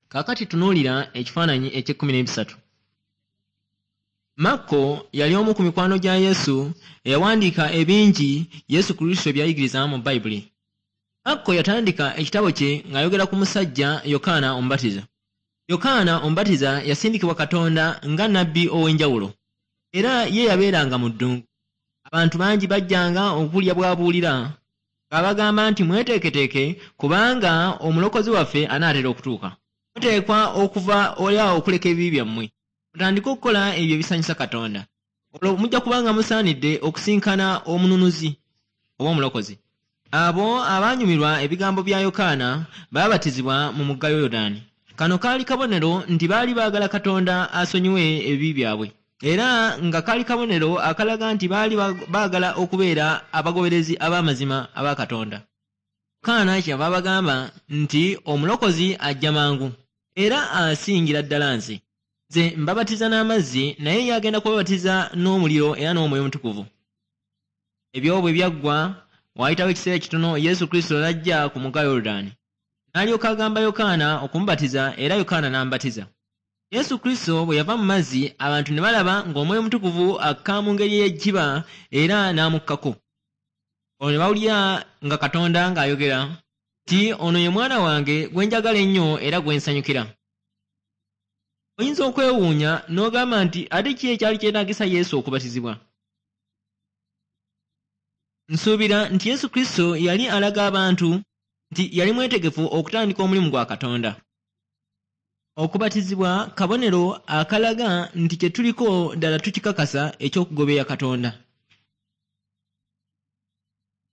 Kaakati tunuulira ekifaananyi eky'ekkumi n'ebisatu. Makko yali omu ku mikwano gya Yesu eyawandiika ebingi Yesu Kristo by'ayigiriza mu Bayibuli. Makko yatandika ekitabo kye ng'ayogera ku musajja Yokaana Omubatiza. Yokaana Omubatiza yasindikibwa Katonda nga nnabbi ow'enjawulo, era ye yabeeranga mu ddungu. Abantu bangi bajjanga okuwulira bw'abuulira, ng'abagamba nti, "Mweteeketeeke, kubanga omulokozi waffe anaatera okutuuka. Muteekwa okuva oli awo okuleka ebibi byammwe, mutandike okukola ebyo ebisanyusa Katonda. Olwo mujja kubanga musaanidde okusinkana omununuzi oba omulokozi." Abo abaanyumirwa ebigambo bya Yokaana baabatizibwa mu mugga Yoludaani. Kano kaali kabonero nti baali baagala Katonda asonyiwe ebibi byabwe, era nga kaali kabonero akalaga nti baali baagala okubeera abagoberezi ab'amazima aba Katonda. Yokaana kyeyava abagamba nti, "Omulokozi ajja mangu, era asingira ddala nze. Nze mbabatiza n'amazzi, naye ye agenda kubabatiza n'omuliro era n'Omwoyo Omutukuvu." Ebyo bwe byaggwa, waayitawo ekiseera kitono Yesu Kristo n'ajja ku mugga Yoludaani. N'alyoka agamba Yokaana okumubatiza era Yokaana n'amubatiza. Yesu Kristo bwe yava mu mazzi, abantu ne balaba ng'Omwoyo Omutukuvu akka mu ngeri ey'ejjiba era n'amukkako. Olwo ne bawulira nga Katonda ng'ayogera nti, "Ono ye mwana wange gwe njagala ennyo era gwe nsanyukira." Oyinza okwewuunya n'ogamba nti, "Ate ki ekyali kyetaagisa Yesu okubatizibwa?" Nsuubira nti Yesu Kristo yali alaga abantu nti yali mwetegefu okutandika omulimu gwa Katonda. Okubatizibwa kabonero akalaga nti kye tuliko ddala tukikakasa eky'okugoberera Katonda.